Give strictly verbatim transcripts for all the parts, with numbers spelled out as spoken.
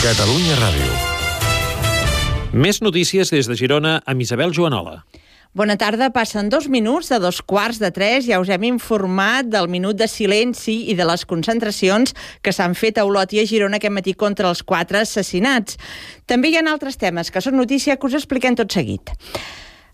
Catalunya Ràdio. Més notícies des de Girona amb Isabel Joanola. Bona tarda, passen dos minuts de dos quarts de tres. Ja us hem informat del minut de silenci i de les concentracions que s'han fet a Olot i a Girona aquest matí contra els quatre assassinats. També hi ha altres temes que són notícia que us expliquem tot seguit.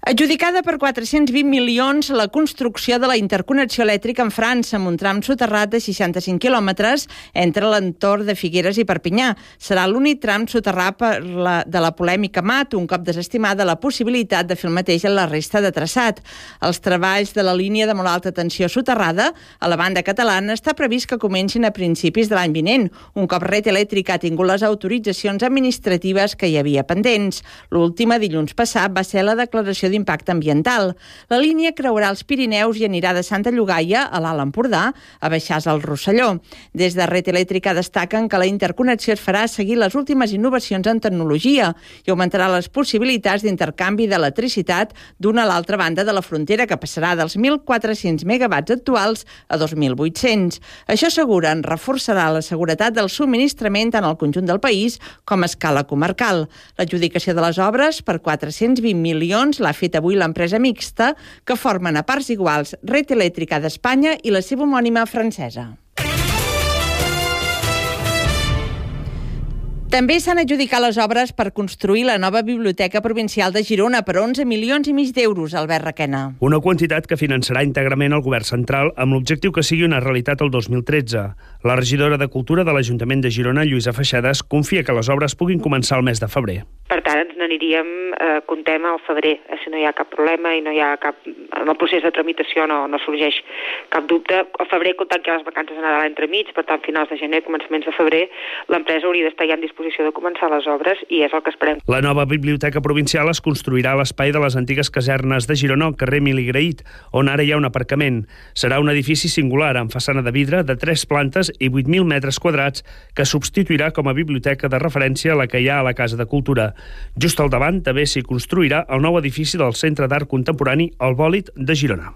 Adjudicada per quatre-cents vint milions la construcció de la interconnexió elèctrica amb França amb un tram soterrat de seixanta-cinc quilòmetres entre l'entorn de Figueres i Perpinyà. Serà l'únic tram soterrat per la, de la polèmica Mat, un cop desestimada la possibilitat de fer el mateix en la resta de traçat. Els treballs de la línia de molt alta tensió soterrada a la banda catalana està previst que comencin a principis de l'any vinent, un cop Red Eléctrica ha tingut les autoritzacions administratives que hi havia pendents. L'última, dilluns passat, va ser la declaració d'impacte ambiental. La línia creuarà els Pirineus i anirà de Santa Llogaia a l'Alt Empordà a Baixàs al Rosselló. Des de Red Eléctrica destaquen que la interconnexió es farà seguir les últimes innovacions en tecnologia i augmentarà les possibilitats d'intercanvi d'electricitat d'una a l'altra banda de la frontera, que passarà dels mil quatre-cents megawatts actuals a dos mil vuit-cents. Això, asseguren, reforçarà la seguretat del subministrament tant al conjunt del país com a escala comarcal. L'adjudicació de les obres per quatre-cents vint milions l'ha fet avui l'empresa mixta, que formen a parts iguals Red Eléctrica d'Espanya i la seva homònima francesa. També s'han adjudicat les obres per construir la nova Biblioteca Provincial de Girona per onze milions i mig d'euros, Albert Requena. Una quantitat que finançarà íntegrament el govern central amb l'objectiu que sigui una realitat el dos mil tretze. La regidora de Cultura de l'Ajuntament de Girona, Lluïsa Feixades, confia que les obres puguin començar el mes de febrer. Per tant, ens n'aniríem, eh, comptem al febrer, si no hi ha cap problema i no hi ha cap... En el procés de tramitació no, no sorgeix cap dubte. Al febrer, comptant que hi ha les vacances de Nadal entremig, per tant, finals de gener, començaments de febrer, l'empresa hauria d'estar ja en disposició de començar les obres i és el que esperem. La nova Biblioteca Provincial es construirà a l'espai de les antigues casernes de Girona, al carrer Emili Graït, on ara hi ha un aparcament. Serà un edifici singular, amb façana de vidre, de tres plantes i vuit mil metres quadrats, que substituirà com a biblioteca de referència a la que hi ha a la Casa de Cultura. Just al davant també s'hi construirà el nou edifici del Centre d'Art Contemporani, el Bòlit de Girona.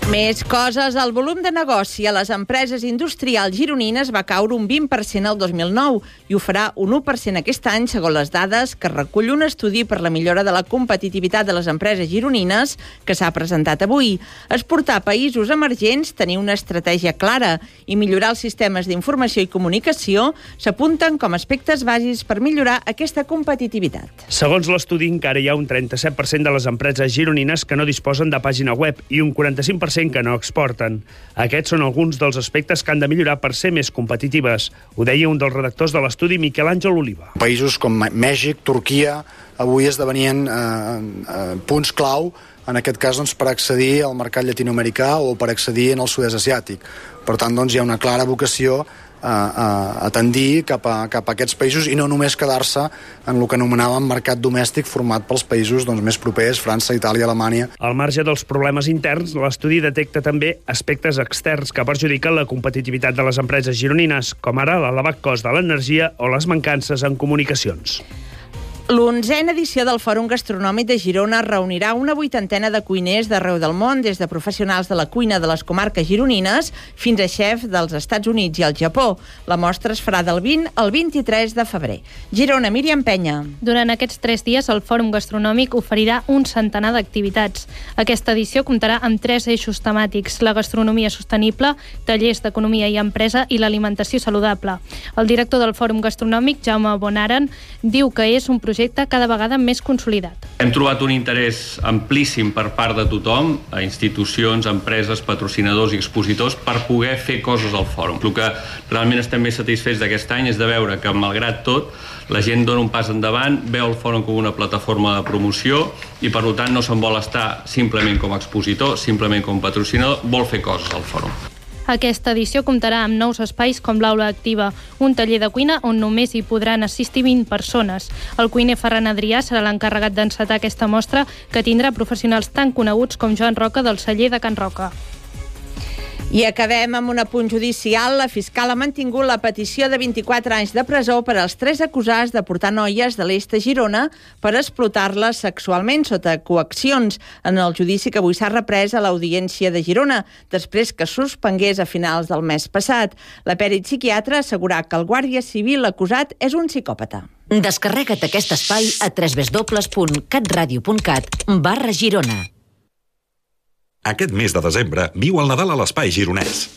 Més coses. El volum de negoci a les empreses industrials gironines va caure un vint per cent el dos mil nou i ho farà un u per cent aquest any, segons les dades que recull un estudi per la millora de la competitivitat de les empreses gironines que s'ha presentat avui. Exportar a països emergents, tenir una estratègia clara i millorar els sistemes d'informació i comunicació s'apunten com a aspectes bàsics per millorar aquesta competitivitat. Segons l'estudi, encara hi ha un trenta-set per cent de les empreses gironines que no disposen de pàgina web i un quaranta-cinc per cent que no exporten. Aquests són alguns dels aspectes que han de millorar per ser més competitives. Ho deia un dels redactors de l'estudi, Miquel Àngel Oliva. Països com Mèxic, Turquia, avui esdevenien eh, eh, punts clau, en aquest cas doncs, per accedir al mercat llatinoamericà o per accedir en el sud-est asiàtic. Per tant, doncs, hi ha una clara vocació a, a, a tendir cap a, cap a aquests països i no només quedar-se en el que anomenàvem mercat domèstic format pels països doncs, més propers, França, Itàlia, Alemanya. Al marge dels problemes interns, l'estudi detecta també aspectes externs que perjudiquen la competitivitat de les empreses gironines, com ara l'elevat cost de l'energia o les mancances en comunicacions. L'onzena edició del Fòrum Gastronòmic de Girona reunirà una vuitantena de cuiners d'arreu del món, des de professionals de la cuina de les comarques gironines fins a xefs dels Estats Units i el Japó. La mostra es farà del vint al vint-i-tres de febrer. Girona, Míriam Penya. Durant aquests tres dies, el Fòrum Gastronòmic oferirà un centenar d'activitats. Aquesta edició comptarà amb tres eixos temàtics: la gastronomia sostenible, tallers d'economia i empresa i l'alimentació saludable. El director del Fòrum Gastronòmic, Jaume Bonaren, diu que és un projecte projecte cada vegada més consolidat. Hem trobat un interès amplíssim per part de tothom, a institucions, empreses, patrocinadors i expositors, per poder fer coses al fòrum. El que realment estem més satisfets d'aquest any és de veure que, malgrat tot, la gent dona un pas endavant, veu el fòrum com una plataforma de promoció i, per tant, no se'n vol estar simplement com a expositor, simplement com a patrocinador, vol fer coses al fòrum. Aquesta edició comptarà amb nous espais com l'Aula Activa, un taller de cuina on només hi podran assistir vint persones. El cuiner Ferran Adrià serà l'encarregat d'encetar aquesta mostra, que tindrà professionals tan coneguts com Joan Roca del celler de Can Roca. I acabem amb un apunt judicial. La fiscal ha mantingut la petició de vint-i-quatre anys de presó per als tres acusats de portar noies de l'est de Girona per explotar-les sexualment sota coaccions en el judici que avui s'ha reprès a l'Audiència de Girona, després que suspengués a finals del mes passat. La pèrit psiquiatra ha assegurat que el guàrdia civil acusat és un psicòpata. Descarrega't aquest espai a w w w punt catradio punt cat barra Girona. Aquest mes de desembre viu el Nadal a l'Espai Gironès.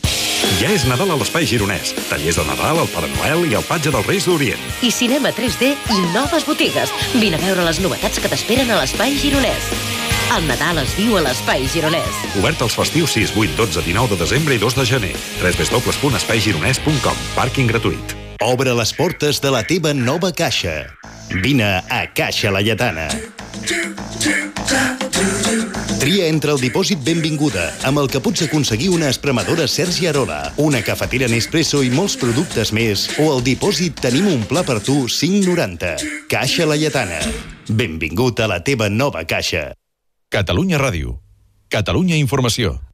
Ja és Nadal a l'Espai Gironès. Tallers de Nadal, el Pare Noel i el Patge dels Reis d'Orient. I cinema tres D i noves botigues. Vine a veure les novetats que t'esperen a l'Espai Gironès. El Nadal es viu a l'Espai Gironès. Obert els festius sis, vuit, dotze, dinou de desembre i dos de gener. w w w punt espai gironès punt com. Pàrquing gratuït. Obre les portes de la teva nova caixa. Vine a Caixa Laietana. Tria entre el dipòsit Benvinguda, amb el que pots aconseguir una espremadora Sergi Arola, una cafetera Nespresso i molts productes més, o el dipòsit Tenim un pla per tu cinc noranta. Caixa Laietana. Benvingut a la teva nova caixa. Catalunya Ràdio. Catalunya Informació.